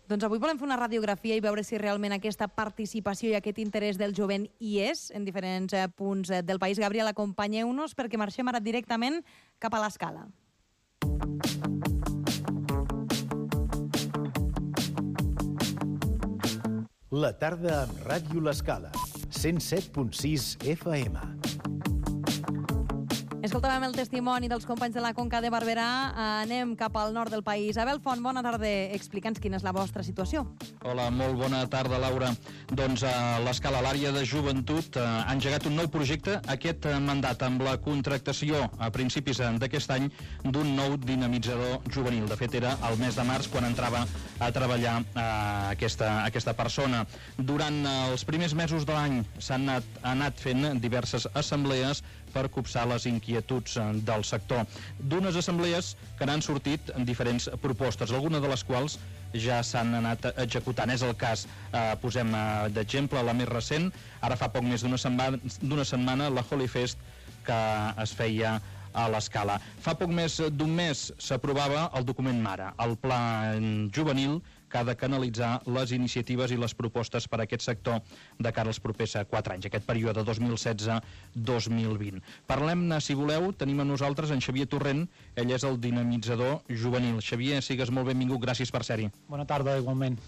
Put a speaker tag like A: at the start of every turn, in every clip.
A: Doncs avui volem fer una radiografia i veure si realment aquesta participació i aquest interès del jovent hi és en diferents punts del país. Gabriel, acompanyeu-nos perquè marxem ara directament cap a l'Escala.
B: La tarda amb Ràdio l'Escala, 107.6 FM.
A: Escoltàvem el testimoni dels companys de la Conca de Barberà. Anem cap al nord del país. Abel Font, bona tarda. Explica'ns quina és la vostra situació.
C: Hola, molt bona tarda, Laura. Doncs a l'Escala, l'àrea de joventut, ha engegat un nou projecte aquest mandat amb la contractació a principis d'aquest any d'un nou dinamitzador juvenil. De fet, era el mes de març quan entrava a treballar aquesta persona. Durant els primers mesos de l'any s'han anat fent diverses assemblees per copsar les inquietuds del sector. D'unes assemblees que n'han sortit diferents propostes, algunes de les quals ja s'han anat executant. És el cas, posem d'exemple la més recent, ara fa poc més d'una setmana, la Holy Fest que es feia a l'Escala. Fa poc més d'un mes s'aprovava el document Mare, el pla juvenil que ha de canalitzar les iniciatives i les propostes per a aquest sector de cara als propers 4 anys, aquest període 2016-2020. Parlem-ne, si voleu, tenim amb nosaltres en Xavier Torrent, ell és el dinamitzador juvenil. Xavier, sigues molt benvingut, gràcies per ser-hi.
D: Bona tarda, igualment.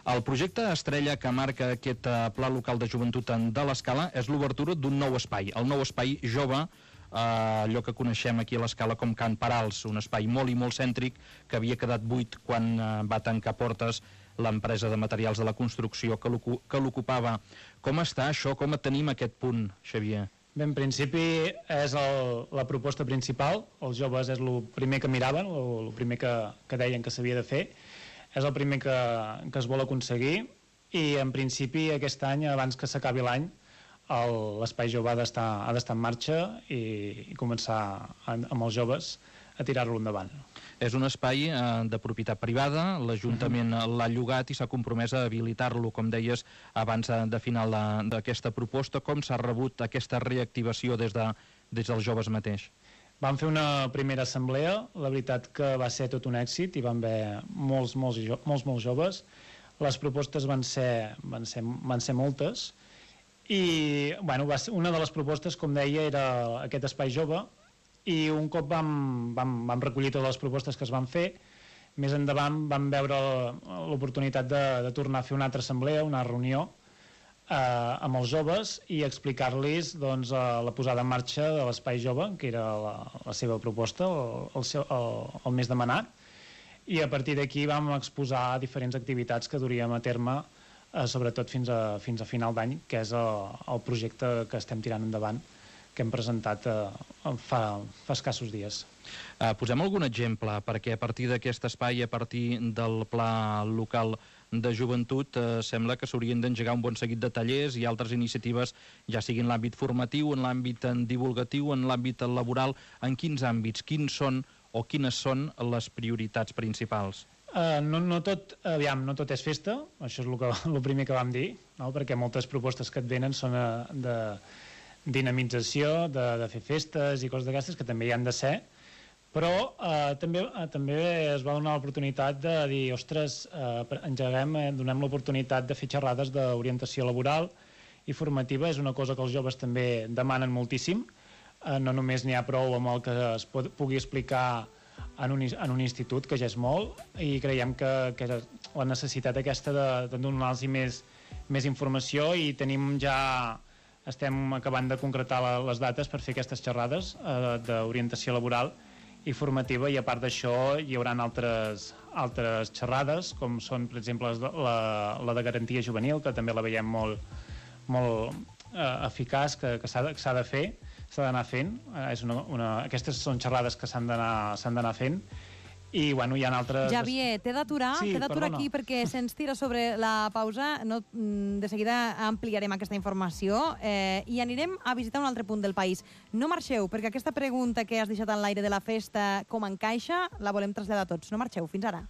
C: El projecte estrella que marca aquest pla local de joventut de l'Escala és l'obertura d'un nou espai, el nou espai jove, allò que coneixem aquí a l'Escala com Can Parals, un espai molt i molt cèntric que havia quedat buit quan va tancar portes l'empresa de materials de la construcció que l'ocupava. Com està això? Com tenim aquest punt, Xavier?
D: Bé, en principi és la proposta principal. Els joves és el primer que miraven, el primer que deien que s'havia de fer. És el primer que es vol aconseguir i en principi aquest any, abans que s'acabi l'any, l'espai jove ha d'estar en marxa i començar amb els joves a tirar-lo endavant.
C: És un espai de propietat privada, l'Ajuntament l'ha llogat i s'ha compromès a habilitar-lo, com deies, abans de final d'aquesta proposta. Com s'ha rebut aquesta reactivació des dels joves mateix?
D: Vam fer una primera assemblea, la veritat que va ser tot un èxit i van haver molts joves. Les propostes van ser moltes i bueno, una de les propostes, com deia, era aquest espai jove i un cop vam recollir totes les propostes que es van fer, més endavant vam veure l'oportunitat de tornar a fer una altra assemblea, una reunió amb els joves i explicar-los doncs, la posada en marxa de l'espai jove, que era la seva proposta, el més demanat, i a partir d'aquí vam exposar diferents activitats que duríem a terme sobretot fins a final d'any, que és el projecte que estem tirant endavant, que hem presentat fa escassos dies.
C: Posem algun exemple, perquè a partir d'aquest espai, a partir del pla local de joventut, sembla que s'haurien d'engegar un bon seguit de tallers i altres iniciatives, ja sigui en l'àmbit formatiu, en l'àmbit divulgatiu, en l'àmbit laboral. En quins àmbits? Quines són les prioritats principals?
D: No tot és festa, això és el primer que vam dir, no? Perquè moltes propostes que et venen són de dinamització, de fer festes i coses d'aquestes, que també hi han de ser, però també es va donar l'oportunitat de dir, ostres, donem l'oportunitat de fer xerrades d'orientació laboral i formativa. És una cosa que els joves també demanen moltíssim, no només n'hi ha prou amb el que es pugui explicar en un institut, que ja és molt, i creiem que la necessitat aquesta de donar-los més informació, i estem acabant de concretar les dates per fer aquestes xerrades d'orientació laboral i formativa, i a part d'això hi haurà altres xerrades, com són, per exemple, la de garantia juvenil, que també la veiem molt eficaç, que s'ha de fer, s'ha d'anar fent. Aquestes són xerrades que s'han d'anar fent, i bueno, hi ha altres...
A: Javier, t'he d'aturar aquí perquè se'ns tira sobre la pausa. De seguida ampliarem aquesta informació i anirem a visitar un altre punt del país. No marxeu, perquè aquesta pregunta que has deixat en l'aire de la festa, com encaixa, la volem traslladar a tots. No marxeu, fins ara.